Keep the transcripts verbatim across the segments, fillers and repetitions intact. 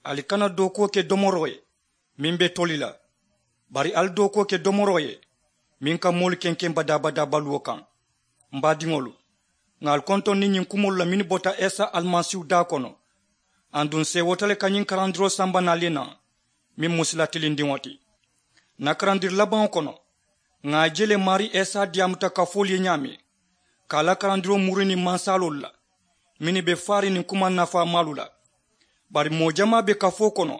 Ali kana dookuwo ke domoroo ye meŋ be toli la, bari ali dookuwo ke domoroo ye meŋ ka moolu kenkeŋ badaa-badaa baluwo kaŋ. M baadiŋolu, ŋà ali kontondi ñiŋ kumoolu la mennu bota isa alimasiihu daa kono. Aduŋ seewoota le ka ñiŋ karandiroo samba naŋ ali ye naŋ, meŋ mu sila tilindiŋo ti. Ǹ na karandiri labaŋo kono, ŋà a je le maarii isa diyaamuta kafoolu ye ñaameŋ, ka a la karandiroo muri niŋ mansaaloolu la mennu be faariŋ niŋ kumaŋ nafaamaalu la. Bari moo jamaa be kafoo kono,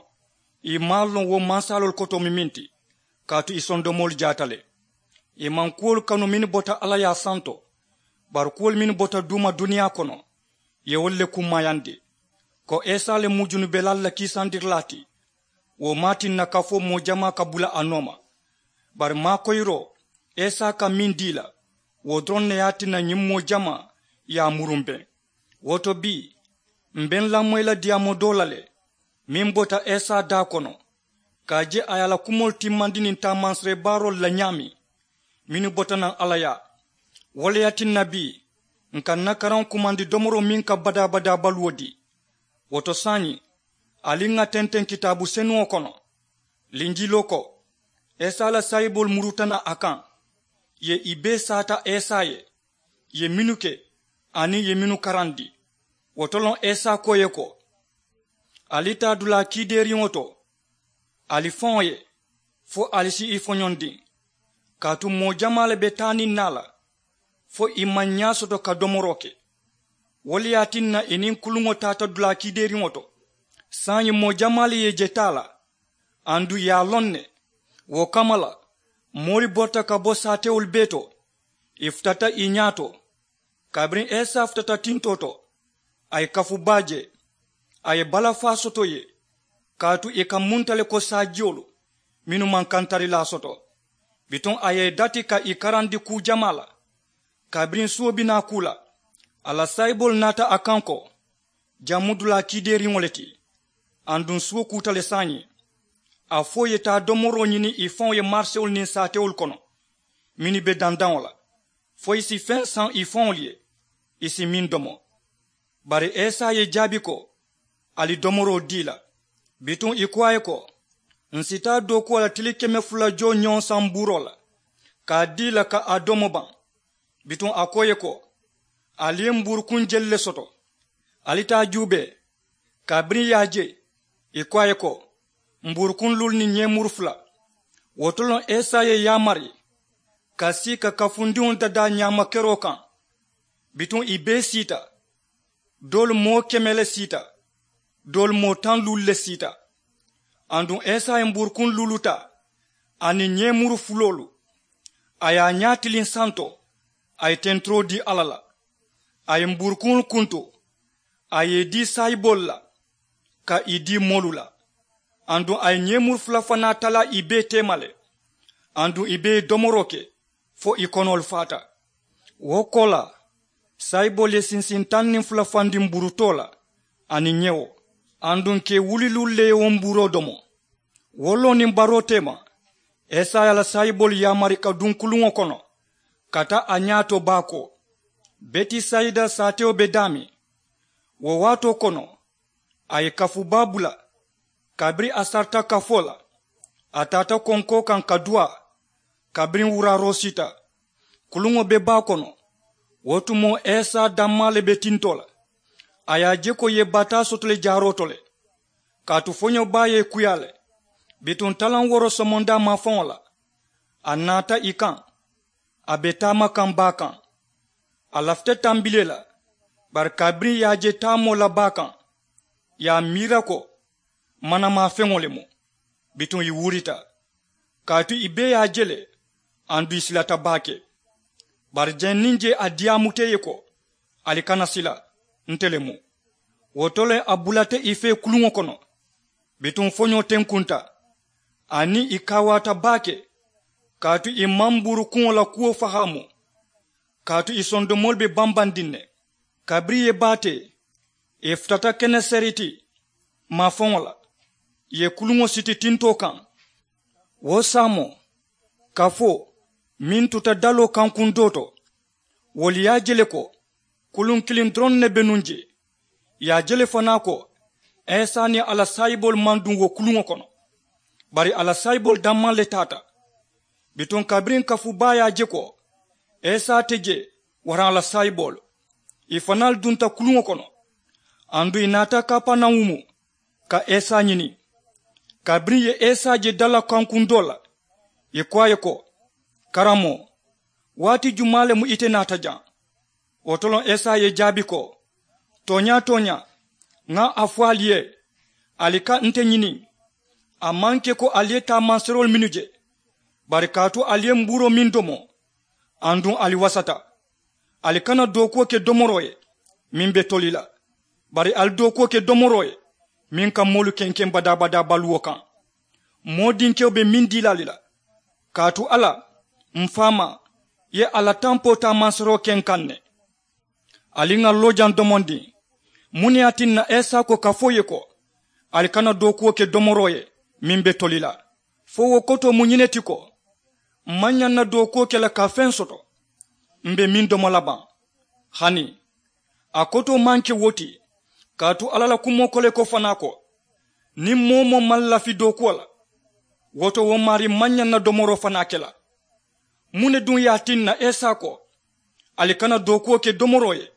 ì maŋ a loŋ wo mansaaloolu kotoo mu meŋ ti, kaatu ì sondomoolu jaata le. Ì maŋ kuwolu kanu mennu bota alla ye a santo, bari kuwolu mennu bota duuma duniyaa kono, ì ye wolu le kummaayandi. Ko isa le mu junubelaalu la kiisandirilaa ti, wo maŋ a tinna kafoo moo jamaa ka bula a nooma. Bari maakoyiroo isa ka meŋ dii la, wo doroŋ ne ye a tinna ñiŋ moo jamaa ye a murumbeŋ. Wo to bii, m̀ be n lamoyi la diyaamoo doo la le, meŋ bota isa daa kono, ka a je a ye a la kumoolu timmandi niŋ taamansiree baaroolu la ñaameŋ mennu bota naŋ alla yaa. Wo le ye a tinna bii, ǹ ka n na karaŋo kumandi domoroo meŋ ka badaa-badaa baluwo dii. Wo to saayiŋ, ali ŋà tenteŋ kitaabu senuŋo kono. Linjiloo ko, isa la saayiboolu muruta naŋ a kaŋ, ì ye ì bee saata isa ye, ì ye mennu ke aniŋ ì ye mennu karandi. Wo to loŋ isa ko ì ye ko, ali taa dulaa kiideeriŋo to, ali faŋo ye, fo ali si i foñondiŋ. Kaatu moo jamaa le be taa niŋ naa la, fo ì maŋ ñaa soto ka domoroo ke. Wo le ye a tinna ì niŋ kuluŋo taata dulaa kiideeriŋo to. Saayiŋ moo jamaa le ye i je taa la, aduŋ ì ye a loŋ ne. Wo kamma la, moolu borita ka bo saatewolu bee to, ì futata ì ñaa to. Kabiriŋ isa futata tintoo to, a ye kafu baa je. A ye balafaa soto ì ye, kaatu ì ka munta le ko saajiyolu mennu maŋ kantarilaa soto. Bituŋ a ye ì dati ka ì karandi kuu jamaa la. Kabiriŋ suwo bi naa kuu la, a la saayiboolu naata a kaŋ ko, jaŋ mu dulaa kiideeriŋo le ti. Aduŋ suwo kuuta le saayiŋ. A fo ì ye taa domoroo ñini ì faŋo ye marisewolu niŋ saatewolu kono mennu be dandaŋo la, fo ì si feŋ saŋ ì faŋolu ye, ì si meŋ domo. Bari isa ye ì jaabi ko, ali domoroo dii la. Bituŋ ì ko a ye ko, ǹ si taa dookuwo la tili keme fula joo ñoŋ saŋ mbuuroo la, ka a dii ì la ka a domo baŋ. Bituŋ a ko ì ye ko, ali ye mbuurukuŋ jelu le soto, ali taa juubee. Kabiriŋ ì ye a je, ì ko a ye ko, mbuurukuŋ luulu niŋ ñeemuru fula. Wo to loŋ isa ye ì yaamari ka sii ka kafundiŋo dadaa ñaama keroo kaŋ. Bituŋ ì bee siita. Doolu moo keme le siita, doolu moo taŋ luulu le siita. Aduŋ isa ye mbuurukuŋ luulu taa aniŋ ñeemuru fuloolu, a ye a ñaa tiliŋ santo, a ye tenturoo dii alla la. A ye mbuurukuŋolu kuntu, a ye ì dii saayiboolu la, ka ì dii moolu la. Aduŋ a ye ñeemuru fula fanaa talaa ì bee teema le. Aduŋ ì bee ye domoroo ke fo ì konoolu faata. Wo koolaa, saayiboolu ye sinsiŋ taŋ niŋ fula fandi mbuurutoo la aniŋ ñewo, aduŋ kee wuliluulu le ye wo mbuuroo domo. Wo loo niŋ baroo teema, isa ye a la saayiboolu yaamari ka duŋ kuluŋo kono, ka taa a ñaato baakoo, betisayida saatewo be daameŋ. Wo waatoo kono, a ye kafu baa bula. Kabiriŋ a sarita kafoo la, a taata konkoo kaŋ ka duwaa. Kabiriŋ wuraaroo siita, kuluŋo be baa kono. Wo tumoo isa dammaa le be tintoo la. A ye a je ko ì ye bataa soto le jaaroo to le, kaatu foñoo baa ye ì kuyaa le. Bituŋ talaŋ wooroo somondaa maafaŋo la, a naata ì kaŋ. A be taama kaŋ baa kaŋ. A lafita tambilee la, bari kabiriŋ ì ye a je taamoo la baa kaŋ, ì ye a miira ko manamaafeŋo le mu. Bituŋ ì wurita, kaatu ì bee ye a je le, aduŋ ì silata baake. Bari jee niŋ jee a diyaamuta ì ye ko, ali kana sila, nte le mu. Wo to le a bulata ì fee kuluŋo kono. Bituŋ foñoo tenkunta, aniŋ ì kaawaata baake, kaatu ì maŋ mbuurukuŋo la kuwo fahaamu. Kaatu ì sondomoolu be bambandiŋ ne. Kabiriŋ ì ye baatee, ì futata keneseriti maafaŋo la, ì ye kuluŋo siti tintoo kaŋ. Wo saamoo, kafoo meŋ tuta daloo kaŋ kundoo to, wolu ye a je le ko kuluŋ kiliŋ doroŋ ne be nuŋ jee. Ì ye a je le fanaa ko Isa niŋ a la saayiboolu maŋ duŋ wo kuluŋo kono. Bari a la saayiboolu dammaŋ le taata. Bituŋ kabiriŋ kafu baa ye a je ko isa te jee waraŋ a la saayiboolu, ì fanaalu dunta kuluŋo kono. Aduŋ ì naata kapanawumu ka isa ñini. Kabiriŋ ì ye isa je dalakankuŋ doo la, ì ko a ye ko, karamoo, waati jumaa le mu ite naata jaŋ? Wo to loŋ isa ye ì jaabi ko, tooñaa tooñaa, ŋa a fo ali ye, ali ka nte ñini. A maŋ ke ko ali ye taamanseroolu mennu je, bari kaatu ali ye mbuuroo meŋ domo, aduŋ ali wasata. Ali kana dookuwo ke domoroo ye meŋ be toli la, bari ali dookuwo ke domoroo ye meŋ ka moolu kenkeŋ badaa-badaa baluwo kaŋ. Moo dinkewo be meŋ dii la ali la, kaatu alla, m̀ faamaa, ye a la tampoo taamanseroo ke n kaŋ ne. Ali ŋà loojaŋ domondiŋ. Muŋ ne ye a tinna isa ko ka fo ì ye ko, ali kana dookuwo ke domoroo ye meŋ be toli la? Fo wo kotoo mu ñiŋ ne ti ko, m̀ maŋ ñaŋ na dookuwo ke la ka feŋ soto m̀ be meŋ domo la baŋ? Hani a kotoo maŋ ke wo ti. Kaatu alla la kumoo ko le ko fanaa ko, niŋ moo-wo-moo maŋ lafi dookuwo la, wo to wo maarii maŋ ñaŋ na domoroo fanaa ke la. Muŋ ne duŋ ye a tinna isa ko, ali kana dookuwo ke domoroo ye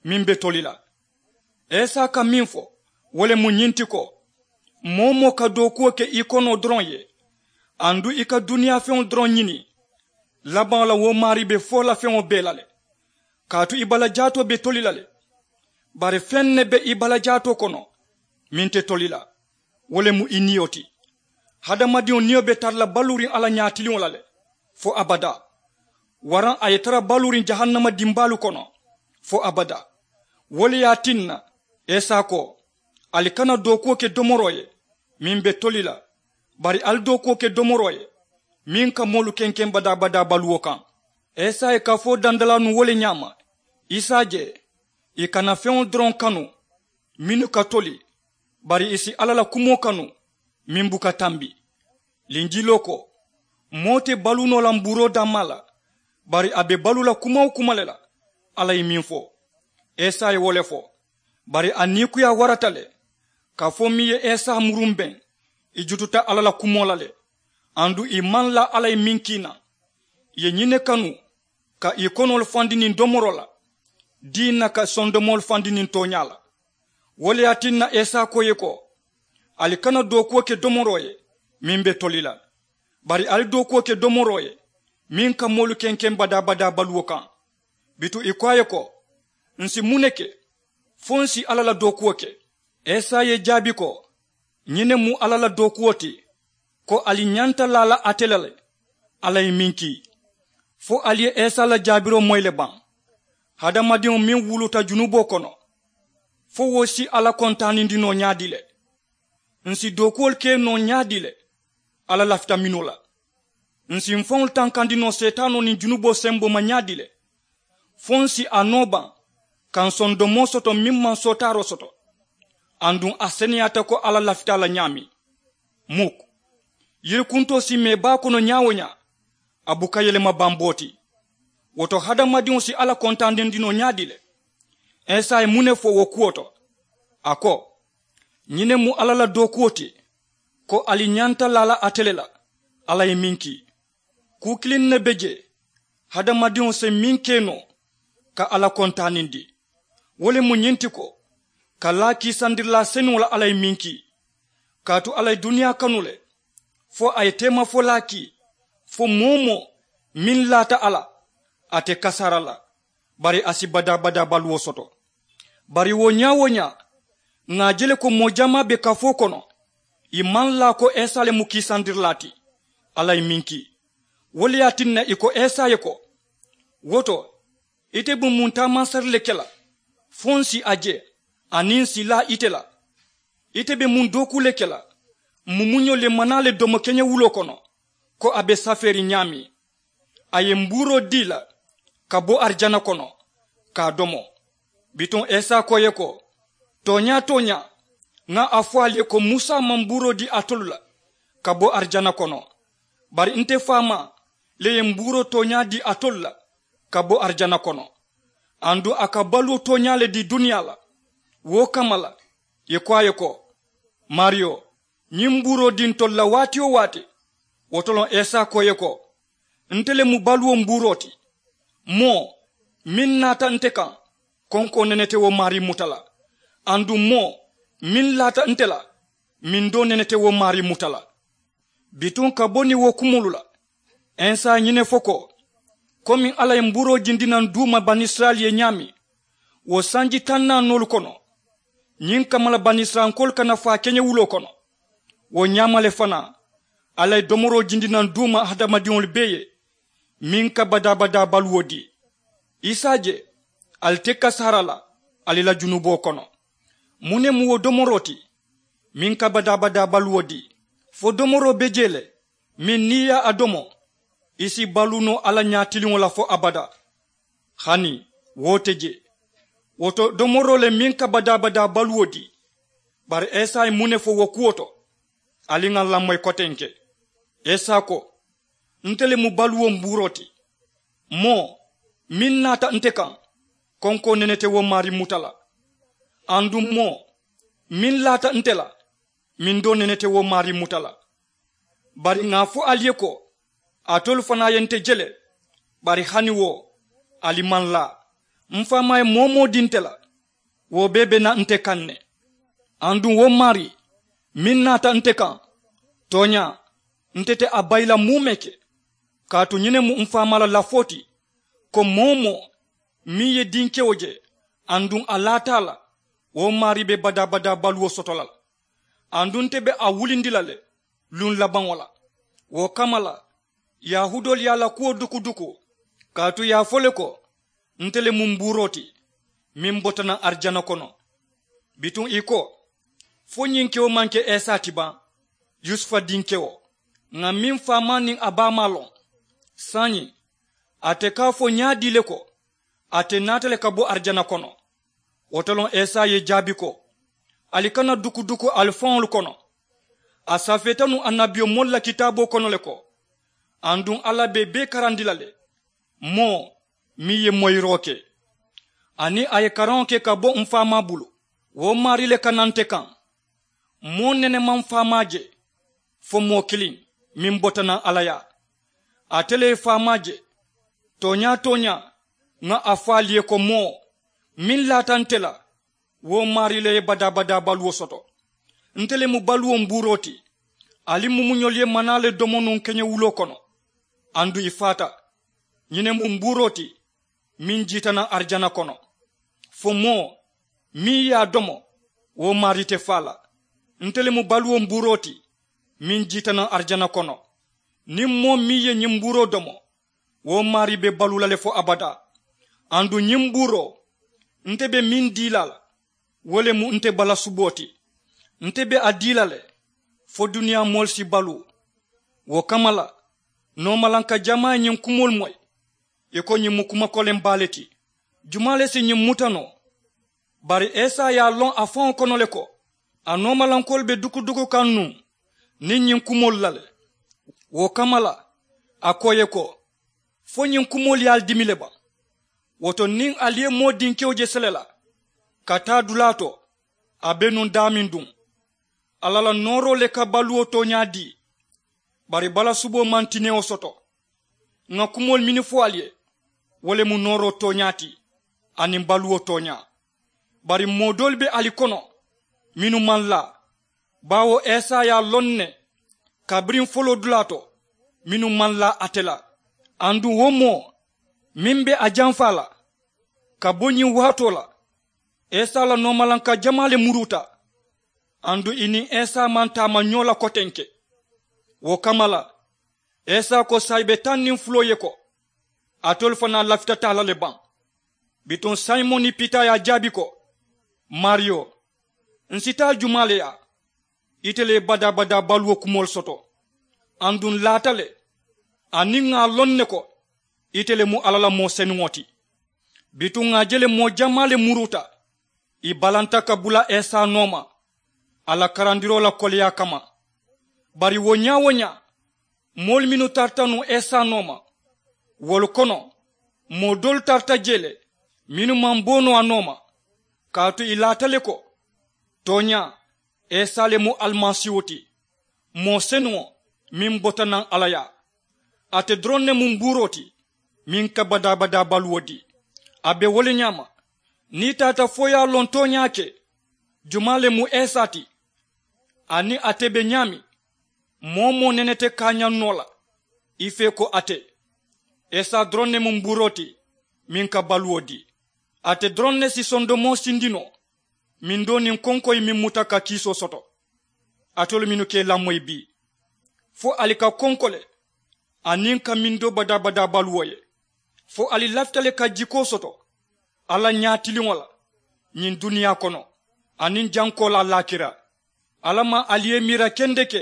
meŋ be toli la? Isa ka meŋ fo, wo le mu ñiŋ ti ko, moo-wo-moo ka dookuwo ke i konoo doroŋ ye, aduŋ i ka duniyaa feŋo doroŋ ñini, labaŋo la wo maarii be foo la feŋo bee la le. Kaatu i bala jaatoo be toli la le. Bari feŋ ne be i bala jaatoo kono meŋ te toli la, wo le mu i niyo ti. Hadamadiŋo niyo be tara la baluuriŋ alla ñaatiliŋo la le fo abadaa, waraŋ a ye tara baluuriŋ jahannama dimbaalu kono fo abadaa. Wo le ye a tinna isa ko, ali kana dookuwo ke domoroo ye meŋ be toli la, bari ali dookuwo ke domoroo ye meŋ ka moolu kenkeŋ badaa-badaa baluwo kaŋ. Isa ye kafoo dandalaa nuŋ wo le ñaama, i si a je, i kana feŋolu doroŋ kanu mennu ka toli, bari i si alla la kumoo kanu meŋ buka tambi. Linjiloo ko, moo te baluu noo la mbuuroo dammaa la, bari a be baluu la kuma-wo-kuma le la. Alla ye meŋ fo, isa ye wo le fo. Bari a niikuyaa warata le, kafoo meŋ ye isa murumbeŋ, i jututa alla la kumoo la le. Aduŋ i maŋ laa alla ye meŋ kiina, i ye ñiŋ ne kanu, ka i konoolu fandi niŋ domoroo la, dii na ka sondomoolu fandi niŋ tooñaa la. Wo le ye a tinna isa ko i ye ko, ali kana dookuwo ke domoroo ye meŋ be toli la, bari ali dookuwo ke domoroo ye meŋ ka moolu kenkeŋ badaa-badaa baluwo kaŋ. Bituŋ i ko a ye ko, ǹ si muŋ ne ke fo ǹ si alla la dookuwo ke? Isa ye i jaabi ko, ñiŋ ne mu alla la dookuwo ti, ko ali ñanta laa la ate la le, alla ye meŋ kii. Fo ali ye isa la jaabiroo moyi le baŋ? Hadamadiŋo meŋ wuluta junuboo kono, fo wo si alla kontaanindi noo ñaadii le? Ǹ si dookuwolu ke noo ñaadii le alla lafita mennu la? Ǹ si m̀ faŋolu tankandi noo seetaanoo niŋ junuboo semboo ma ñaadii le? Fo ǹ si a noo baŋ ka ǹ sondomoo soto meŋ maŋ sootaaroo soto, aduŋ a seneyaata ko alla lafita a la ñaameŋ? Muk. Yirikuntoo si mee baa kono ñaa-wo-ñaa, a buka yelema bamboo ti. Wo to hadamadiŋo si alla kontaanindi noo ñaadii le? Isa ye muŋ ne fo wo kuwo to? A ko, ñiŋ ne mu alla la dookuwo ti, ko ali ñanta laa la ate le la, alla ye meŋ kii. Kuu kiliŋ ne be jee hadamadiŋo si meŋ ke noo ka alla kontaanindi. Wo le mu ñiŋ ti ko, ka laa kiisandirilaa senuŋo la alla ye meŋ kii. Kaatu alla ye duniyaa kanu le, fo a ye teemafolaa kii, fo moo-wo-moo meŋ laata a la, a te kasaara la, bari a si badaa-badaa baluwo soto. Bari wo ñaa-wo-ñaa, ŋà a je le ko moo jamaa be kafoo kono, ì maŋ laa ko isa le mu kiisandirilaa ti alla ye meŋ kii. Wo le ye a tinna ì ko isa ye ko, wo to, ite be muŋ taamansari le ke la fo ǹ si a je, aniŋ ǹ si laa ite la? Ite be muŋ dookuu le ke la? M̀ mumuño le maŋ naa le domo keñewuloo kono, ko a be safeeriŋ ñaameŋ? A ye m̀ buuroo dii la ka bo arijana kono ka a domo. Bituŋ isa ko ì ye ko, tooñaa-tooñaa, ŋa a fo ali ye ko musa maŋ m̀ buuroo dii alitolu la ka bo arijana kono, bari nte faamaa le ye m̀ buuroo tooñaa dii alitolu la ka bo arijana kono. Aduŋ a ka baluwo tooñaa le dii duniyaa la. Wo kamma la ì ko a ye ko, Maariyo, ñiŋ mbuuroo dii ntolu la waati-wo-waati. Wo to loŋ esa ko ì ye ko, nte le mu baluwo mbuuroo ti. Moo meŋ naata nte kaŋ, konkoo nene te wo maarii muta la. Aduŋ moo meŋ laata nte la, mindoo nene te wo maarii muta la. Bituŋ ka bo niŋ wo kumoolu la, esa ye ñiŋ ne fo ko, komiŋ alla ye mbuuroo jindi naŋ duuma banisirayila ye ñaameŋ wo sanji taŋ naanoolu kono, ñiŋ kamma la banisirayilankoolu kana faa keñewuloo kono. Wo ñaama le fanaa, alla ye domoroo jindi naŋ duuma hadamadiŋolu bee ye, meŋ ka badaa-badaa baluwo dii. Isa je, ali te kasaara la ali la junuboo kono. Muŋ ne mu wo domoroo ti, meŋ ka badaa-badaa baluwo dii? Fo domoroo be jee le, meŋ niŋ ì ye a domo, i si baluu noo alla ñaatiliŋo la fo abadaa. Hani wo te je. Wo to domoroo le meŋ ka badaa-badaa baluwo dii. Bari esa ye muŋ ne fo wo kuwo to? Ali ŋà ǹ lamoyi kotenke. Esa ko, nte le mu baluwo mbuuroo ti. Moo meŋ naata nte kaŋ, konkoo nene te wo maarii muta la. Aduŋ moo meŋ laata nte la, mindoo nene te wo maarii muta la. Bari ŋà a fo ali ye ko, alitolu fanaa ye nte je le. Bari hani wo, ali maŋ laa. M̀ faamaa ye moo-wo-moo dii nte la, wo bee be naa nte kaŋ ne. Aduŋ wo maarii meŋ naata nte kaŋ, tooñaa, nte te a bayi la muumee ke. Kaatu ñiŋ ne mu m̀ faamaa la lafoo ti, ko moo-wo-moo meŋ ye dinkewo je, aduŋ a laata a la, wo maarii be badaa-badaa baluwo soto la le. Aduŋ nte be a wulindi la le luŋ labaŋo la. Wo kamma la, yahuudoolu ye a la kuwo duku-duku, kaatu ì ye a fo le ko, nte le mu mbuuroo ti, meŋ bota naŋ arijana kono. Bituŋ ì ko, fo ñiŋ kewo maŋ ke esa ti baŋ, yusufa dinkewo? Ŋà meŋ faamaa niŋ a baamaa loŋ. Saayiŋ, ate ka a fo ñaadii le ko, ate naata le ka bo arijana kono? Wo to loŋ esa ye ì jaabi ko, ali kana duku-duku ali faŋolu kono. A safeeta nuŋ annabiyomoolu la kitaaboo kono le ko, aduŋ alla be ì bee karandi la le, moo meŋ ye moyiroo ke, aniŋ a ye karaŋo ke ka bo m̀ faamaa bulu, wo maarii le ka naa nte kaŋ. Moo nene maŋ faamaa je, fo moo kiliŋ, meŋ bota naŋ alla yaa. Ate le ye faamaa je. Tooñaa-tooñaa, ŋà a fo ali ye ko, moo meŋ laata nte la, wo maarii le ye badaa-badaa baluwo soto. Nte le mu baluwo mbuuroo ti. Ali mumuñolu ye manaa le domo nuŋ keñewuloo kono, aduŋ ì faata. Ñiŋ ne mu mbuuroo ti, meŋ jiita naŋ arijana kono. Fo moo meŋ ye a domo, wo maarii te faa la. Nte le mu baluwo mbuuroo ti, meŋ jiita naŋ arijana kono. Niŋ moo meŋ ye ñiŋ mbuuroo domo, wo maarii be baluu la le fo abadaa. Aduŋ ñiŋ mbuuroo, nte be meŋ dii la a la, wo le mu nte balasuboo ti. Nte be a dii la le, fo duniyaa moolu si baluu. Wo kamma la, noomalanka jamaa ye ñiŋ kumoolu moyi, ì ko ñiŋ mu kuma koleŋ baa le ti. Jumaa le si ñiŋ muta noo? Bari esa ye a loŋ a faŋo kono le ko, a noomalankoolu be duku-duku kaŋ nuŋ niŋ ñiŋ kumoolu la le. Wo kamma la, a ko ì ye ko, fo ñiŋ kumoolu ye ali dimi le baŋ? Wo to niŋ ali ye moo dinkewo je sele la ka taa dulaa to, a be nuŋ daameŋ duŋ. Alla la nooroo le ka baluwo tooñaa dii. Bari balasuboo maŋ tinewo soto. Ŋà kumoolu mennu fo ali ye, wo le mu nooroo tooñaa ti, aniŋ baluwo tooñaa. Bari moo doolu be ali kono mennu maŋ laa, baawo esa ye a loŋ ne kabiriŋ foloo dulaa to, mennu maŋ laa ate la. Aduŋ wo moo meŋ be a jamfaa la ka bo ñiŋ waatoo la, esa la noomalanka jamaa le muruuta. Aduŋ ì niŋ esa maŋ taama ñoo la kotenke. Wo kamma la, esa ko, saayibe taŋ niŋ fuloo ye ko, alitolu fanaa lafita taa la le baŋ? Bituŋ simoni pita ye a jaabi ko, maariyo, ǹ si taa jumaa le yaa? Ite le ye badaa-badaa baluwo kumoolu soto. Aduŋ ǹ laata le, aniŋ ŋà a loŋ ne ko ite le mu alla la moo senuŋo ti. Bituŋ ŋà a je le moo jamaa le muruuta, ì balanta ka bula esa nooma, a la karandiroo la koleyaa kamma. Bari wo ñaa-wo-ñaa, moolu mennu tarata nuŋ esa nooma, wolu kono moo doolu tarata jee le mennu maŋ bo noo a nooma. Kaatu ì laata le ko, tooñaa, Isa le mu alimasiiho ti, moo senuŋo meŋ bota naŋ alla yaa. Ate doroŋ ne mu mbuuroo ti meŋ ka badaa-badaa baluwo dii. A be wo le ñaama. Niŋ i taata fo i ye a loŋ tooñaa ke, jumaa le mu isa ti, aniŋ ate be ñaameŋ, moo-wo-moo nene te kaañaŋ noo la i fee ko ate. Isa doroŋ ne mu mbuuroo ti meŋ ka baluwo dii. Ate doroŋ ne si sondomoo sindi noo mindoo niŋ konkoyi meŋ muta ka kiisoo soto. Alitolu mennu ka i lamoyi bii, fo ali ka konko le aniŋ ka mindoo badaa-badaa baluwo ye. Fo ali lafita le ka jikoo soto alla ñaatiliŋo la ñiŋ duniyaa kono aniŋ jaŋ koolaa laakira. Alla maŋ ali ye miira kendeke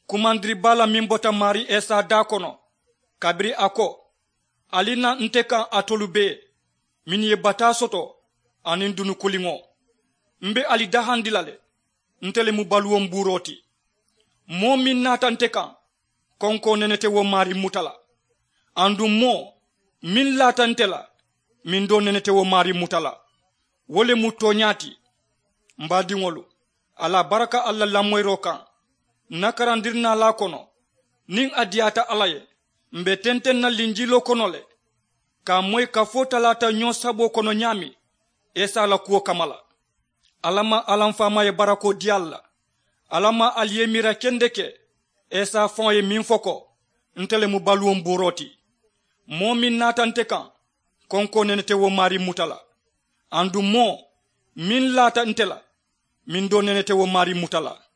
kumandiri baa la meŋ bota maarii isa daa kono, kabiriŋ a ko, ali na nte kaŋ alitolu bee mennu ye bataa soto aniŋ dunukuliŋo. M be ali dahandi la le, nte le mu baluwo mbuuroo ti. Moo meŋ naata nte kaŋ, konkoo nene te wo maarii muta la. Aduŋ moo meŋ laata nte la, mindoo nene te wo maarii muta la. Wo le mu tooñaa ti. M baadiŋolu, ali a baraka ali la lamoyiroo kaŋ. N na karandirinaalaa kono, niŋ a diyaata alla ye, m be tenteŋ na linjiiloo kono le ka a moyi kafoo talaata ñoo saboo kono ñaameŋ isa la kuwo kamma la. Alla maŋ alla m faamaa ye barakoo dii ali la. Alla maŋ ali ye miira kendeke isa faŋo ye meŋ fo ko, nte le mu baluwo mbuuroo ti. Moo meŋ naata nte kaŋ, konkoo nene te wo maarii muta la. Aduŋ moo meŋ laata nte la, mindoo nene te wo maarii muta la.